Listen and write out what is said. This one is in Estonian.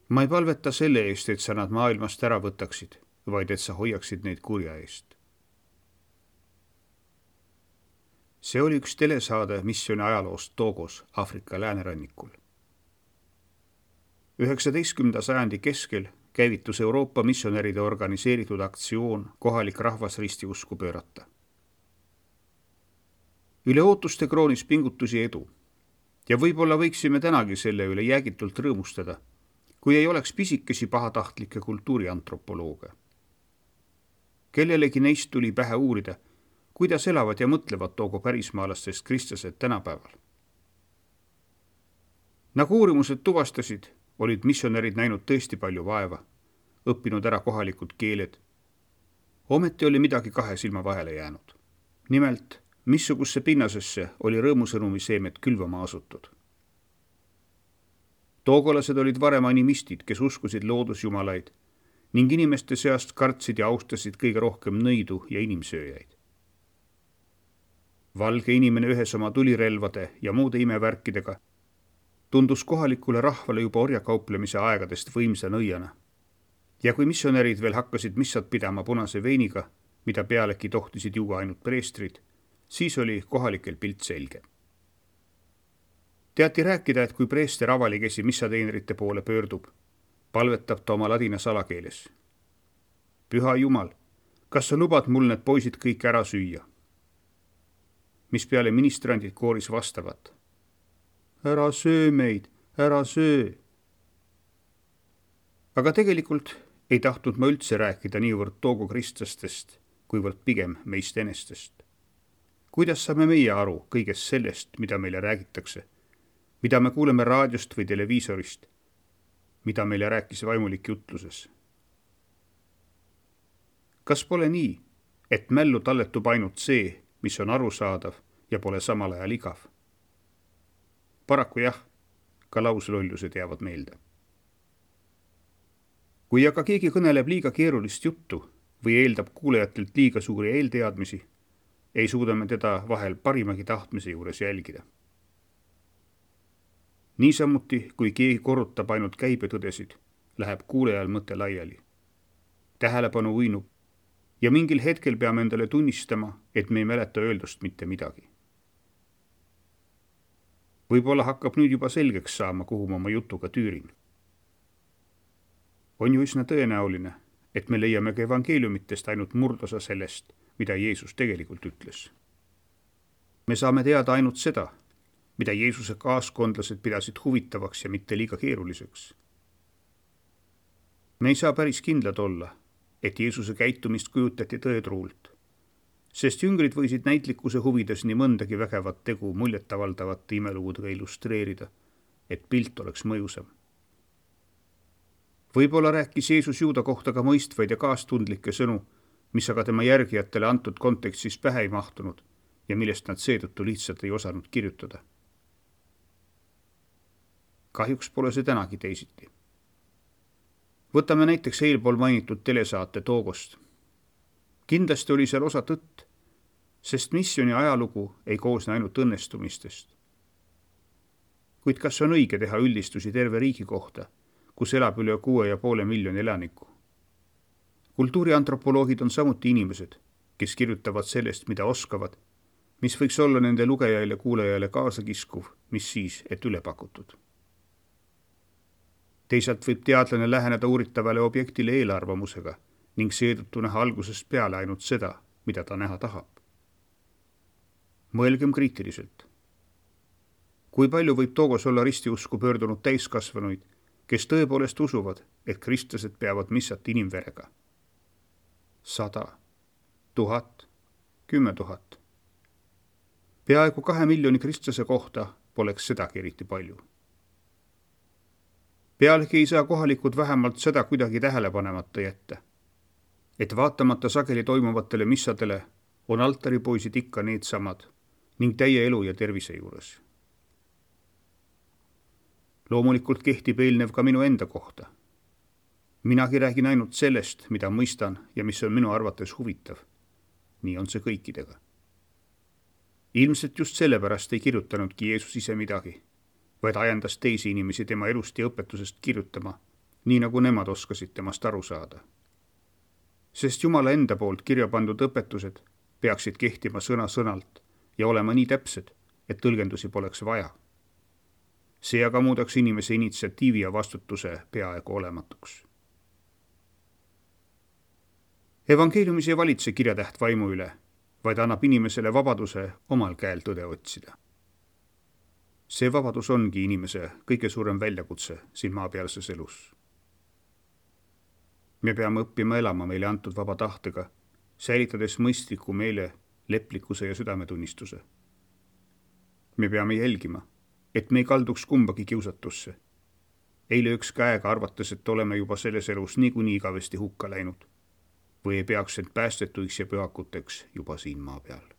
Ma ei palveta selle eest, et sa nad maailmast ära võtaksid, vaid et sa hoiaksid neid kurja eest. See oli üks telesaade missiooni ajaloost Togos, Aafrika läänerannikul. 19. sajandi keskel käivitus Euroopa missionäride organiseeritud aktsioon kohalik rahvas ristiusku pöörata. Üle ootuste kroonis pingutusi edu ja võib-olla võiksime tänagi selle üle jäägitult rõõmustada, kui ei oleks pisikesi pahatahtlikke kultuuriantropolooge. Kellelegi neist tuli pähe uurida, kuidas elavad ja mõtlevad Togo pärismaalastest kristlased tänapäeval. Nagu uurimused tuvastasid, olid missionärid näinud tõesti palju vaeva, õppinud ära kohalikud keeled. Ometi oli midagi kahe silma vahele jäänud. Nimelt, missugusesse pinnasesse oli rõõmusõnumi seemet külvama asutud. Togolased olid varem animistid, kes uskusid loodusjumalaid ning inimeste seast kartsid ja austasid kõige rohkem nõidu ja inimsööjaid. Valge inimene ühes oma tulirelvade ja muude imevärkidega tundus kohalikule rahvale juba orjakauplemise aegadest võimsa nõiana. Ja kui missionärid veel hakkasid missat pidama punase veiniga, mida pealegi tohtisid juua ainult preestrid, siis oli kohalikel pilt selge. Teati rääkida, et kui preester avalikesi missateenrite poole pöördub, palvetab ta oma ladina salakeeles. Püha Jumal, kas sa lubad mul need poisid kõik ära süüa? Mis peale ministrandid kooris vastavat. Ära söö meid, ära söö. Aga tegelikult ei tahtnud ma üldse rääkida niivõrd Togo kristlastest, kuivõrd pigem meist enestest. Kuidas saame meie aru kõigest sellest, mida meile räägitakse, mida me kuuleme raadiost või televiisorist, mida meile rääkis vaimulik jutluses? Kas pole nii, et mällu talletub ainult see, mis on arusaadav ja pole samal ajal igav? Paraku jah, ka lauslollused jäävad meelde. Kui aga keegi kõneleb liiga keerulist juttu või eeldab kuulajatelt liiga suuri eelteadmisi, ei suuda me teda vahel parimagi tahtmise juures jälgida. Niisamuti, kui keegi korrutab ainult käibetõdesid, läheb kuulajal mõte laiali. Tähelepanu uinub ja mingil hetkel peame endale tunnistama, et me ei mäleta öeldust mitte midagi. Võib-olla hakkab nüüd juba selgeks saama, kuhu ma oma jutuga tüürin. On ju üsna tõenäoline, et me leiame ka evangeeliumitest ainult murdosa sellest, mida Jeesus tegelikult ütles. Me saame teada ainult seda, mida Jeesuse kaaskondlased pidasid huvitavaks ja mitte liiga keeruliseks. Me ei saa päris kindlad olla, et Jeesuse käitumist kujutati tõetruult, sest jüngrid võisid näitlikkuse huvides nii mõndagi vägevat tegu muljetavaldavate imelugudega illustreerida, et pilt oleks mõjusam. Võib-olla rääkis Jeesus juuda kohta ka mõistvaid ja kaastundlikke sõnu, mis aga tema järgijatele antud kontekstis pähe ei mahtunud ja millest nad seetõttu lihtsalt ei osanud kirjutada. Kahjuks pole see tänagi teisiti. Võtame näiteks eelpool mainitud telesaate Togost. Kindlasti oli seal osa tõtt, sest missiooni ajalugu ei koosne ainult õnnestumistest. Kuid kas on õige teha üldistusi terve riigi kohta, kus elab üle 6,5 miljoni elaniku? Kultuuriantropoloogid on samuti inimesed, kes kirjutavad sellest, mida oskavad, mis võiks olla nende lugejaile ja kuulajale kaasakiskuv, mis siis, et üle pakutud. Teisalt võib teadlane läheneda uuritavale objektile eelarvamusega ning seetõttu näha algusest peale ainult seda, mida ta näha tahab. Mõelgem kriitiliselt. Kui palju võib Togos olla ristiusku pöördunud täiskasvanuid, kes tõepoolest usuvad, et kristlased peavad missat inimverega? 100, 1000, 10 000. Peaaegu 2 miljoni kristlase kohta poleks sedagi eriti palju. Pealegi ei saa kohalikud vähemalt seda kuidagi tähelepanemata jätta, et vaatamata sageli toimuvatele missadele on altaripoisid ikka needsamad ning täie elu ja tervise juures. Loomulikult kehtib eelnev ka minu enda kohta. Minagi räägin ainult sellest, mida mõistan ja mis on minu arvates huvitav. Nii on see kõikidega. Ilmselt just sellepärast ei kirjutanudki Jeesus ise midagi, vaid ajendas teisi inimesi tema elust ja õpetusest kirjutama nii nagu nemad oskasid temast aru saada. Sest Jumala enda poolt kirja pandud õpetused peaksid kehtima sõna-sõnalt ja olema nii täpsed, et tõlgendusi poleks vaja. See aga muudaks inimese initsiatiivi ja vastutuse peaaegu olematuks. Evangeeliumis ei valitse kirjatäht vaimu üle, vaid annab inimesele vabaduse omal käel tõde otsida. See vabadus ongi inimese kõige suurem väljakutse siin maapealses elus. Me peame õppima elama meile antud vaba tahtega, säilitades mõistliku meele, leplikkuse ja südametunnistuse. Me peame jälgima, et me ei kalduks kumbagi kiusatusse. Ei lööks käega arvates, et oleme juba selles elus niikuinii igavesti hukka läinud või ei peaks end päästetuiks ja pühakuteks juba siin maa peal.